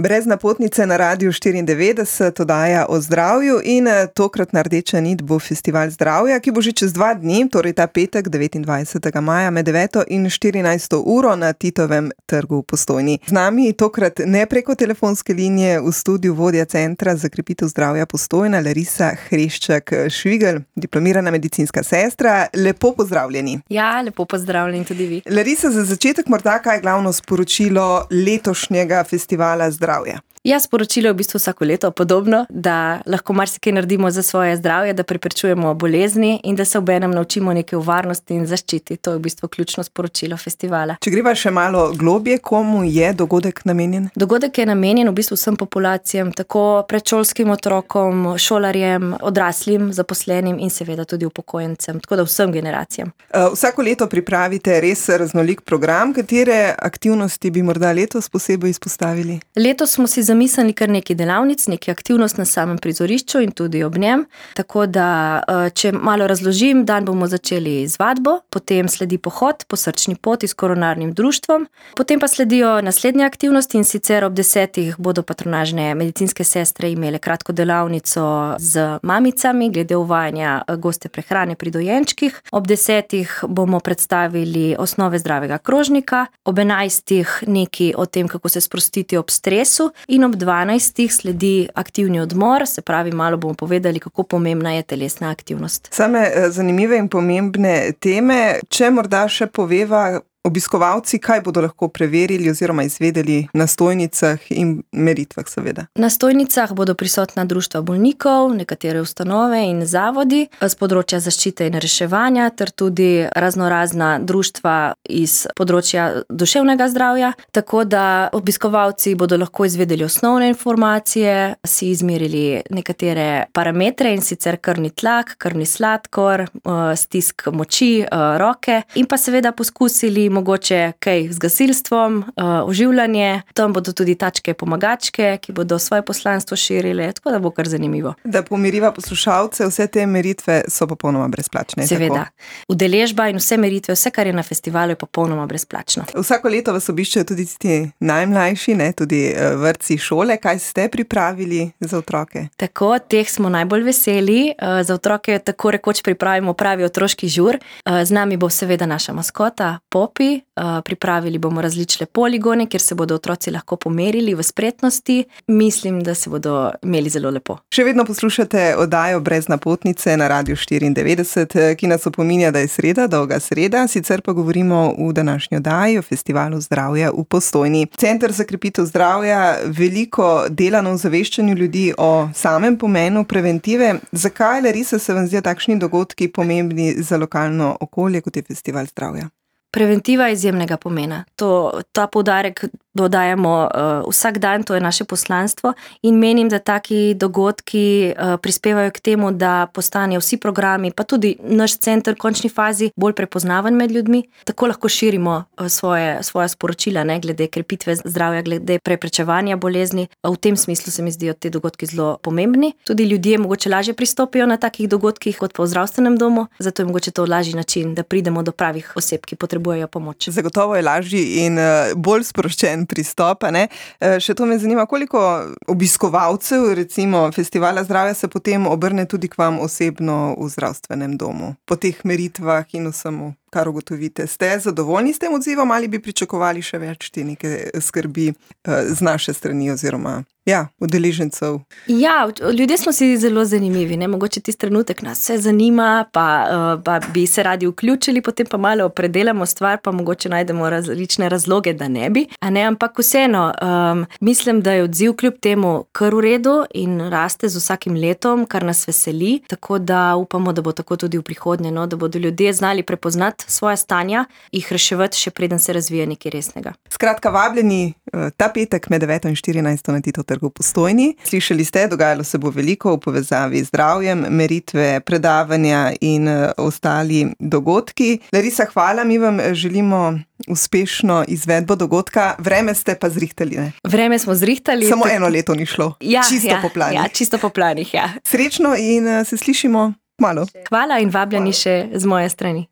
Brez napotnice na Radiu 94, oddaja o zdravju in tokratna rdeča nit bo Festival zdravja, ki bo že čez 2 dni, torej ta petek 29. maja med 9. in 14. uro na Titovem trgu v Postojni. Z nami tokrat ne preko telefonske linije, v studiu vodja Centra za krepitev zdravja Postojna, Larisa Hreščak-Švigelj, diplomirana medicinska sestra. Lepo pozdravljeni. Ja, lepo pozdravljeni tudi vi. Larisa, za začetek morda kaj je glavno sporočilo letošnjega Festivala zdravja? Ja, sporočilo je v bistvu vsako leto podobno, da lahko marsikaj naredimo za svoje zdravje, da preprečujemo bolezni in da se obenem naučimo neke varnosti in zaščiti. To je v bistvu ključno sporočilo festivala. Če greva še malo globje, komu je dogodek namenjen? Dogodek je namenjen v bistvu vsem populacijam, tako predšolskim otrokom, šolarjem, odraslim, zaposlenim in seveda tudi upokojencem, tako da vsem generacijam. Vsako leto pripravite res raznolik program. Katere aktivnosti bi morda letos posebej izpostavili? Letos smo si zamislili kar nekaj delavnic, nekaj aktivnost na samem prizorišču in tudi ob njem. Tako da, če malo razložim, dan bomo začeli z vadbo, potem sledi pohod po srčni poti s koronarnim društvom, potem pa sledijo naslednje aktivnosti in sicer ob 10. bodo patronažne medicinske sestre imele kratko delavnico z mamicami glede uvajanja goste prehrane pri dojenčkih. Ob 10. bomo predstavili osnove zdravega krožnika, ob 11. nekaj o tem, kako se sprostiti ob stresu in ob 12. sledi aktivni odmor, se pravi, malo bomo povedali, kako pomembna je telesna aktivnost. Same zanimive in pomembne teme, če morda še poveva obiskovalci, kaj bodo lahko preverili oziroma izvedeli na stojnicah in meritvah seveda. Na stojnicah bodo prisotna društva bolnikov, nekatere ustanove in zavodi z področja zaščite in reševanja ter tudi raznorazna društva iz področja duševnega zdravja, tako da obiskovalci bodo lahko izvedeli osnovne informacije, si izmerili nekatere parametre in sicer krvni tlak, krvni sladkor, stisk moči, roke in pa seveda poskusili mogoče kaj z gasilstvom, oživljanje, tam bodo tudi tačke pomagačke, ki bodo svoje poslanstvo širile, tako da bo kar zanimivo. Da pomiriva poslušalce, vse te meritve so popolnoma brezplačne. Seveda. Udeležba in vse meritve, vse, kar je na festivalu, je popolnoma brezplačno. Vsako leto vas obiščejo tudi ti najmlajši, tudi vrtci, šole. Kaj ste pripravili za otroke? Tako, teh smo najbolj veseli. Za otroke tako rekoč pripravimo pravi otroški žur. Z nami bo seveda naša maskota, Popi. Pripravili bomo različne poligone, kjer se bodo otroci lahko pomerili v spretnosti. Mislim, da se bodo imeli zelo lepo. Še vedno poslušate oddajo Brez napotnice na Radiu 94, ki nas opominja, da je sreda, dolga sreda, sicer pa govorimo v današnji oddaji o Festivalu zdravja v Postojni. Center za krepitev zdravja veliko dela na ozaveščanju ljudi o samem pomenu preventive. Zakaj, Larisa, se vam zdijo takšni dogodki pomembni za lokalno okolje, kot je Festival zdravja? Preventiva je izjemnega pomena. Ta poudarek dodajamo vsak dan, to je naše poslanstvo in menim, da taki dogodki prispevajo k temu, da postanejo vsi programi, pa tudi naš center v končni fazi bolj prepoznaven med ljudmi. Tako lahko širimo svoja sporočila, glede krepitve zdravja, glede preprečevanja bolezni. V tem smislu se mi zdijo te dogodki zelo pomembni. Tudi ljudje mogoče lažje pristopijo na takih dogodkih kot pa v zdravstvenem domu, zato je mogoče to lažji način, da pridemo do pravih oseb, ki potrebujejo pomoč. Zagotovo je lažji in bolj sproščen pristop, ne? Še to me zanima, koliko obiskovalcev, recimo Festivala zdravja, se potem obrne tudi k vam osebno v zdravstvenem domu, po teh meritvah in vsemu, kar ugotovite. Ste zadovoljni s tem odzivom ali bi pričakovali še več te neke skrbi z naše strani oziroma udeležencev? Ja, ljudje smo si zelo zanimivi, mogoče tisti trenutek nas vse zanima, pa bi se radi vključili, potem pa malo predelamo stvar, pa mogoče najdemo različne razloge, da ne bi. Ampak vseeno, mislim, da je odziv kljub temu kar v redu in raste z vsakim letom, kar nas veseli, tako da upamo, da bo tako tudi v prihodnje, da bodo ljudje znali prepoznati svoja stanja, jih reševati, še preden se razvije nekaj resnega. Skratka, vabljeni ta petek med 9. in 14. na Titovem trgu v Postojni. Slišali ste, dogajalo se bo veliko v povezavi z zdravjem, meritve, predavanja in ostali dogodki. Larisa, hvala, mi vam želimo uspešno izvedbo dogodka. Vreme ste pa zrihtali, ne? Vreme smo zrihtali. Samo eno leto ni šlo. Čisto po planih. Ja, čisto po planih, ja. Srečno in se slišimo kmalu. Hvala in vabljeni še z moje strani.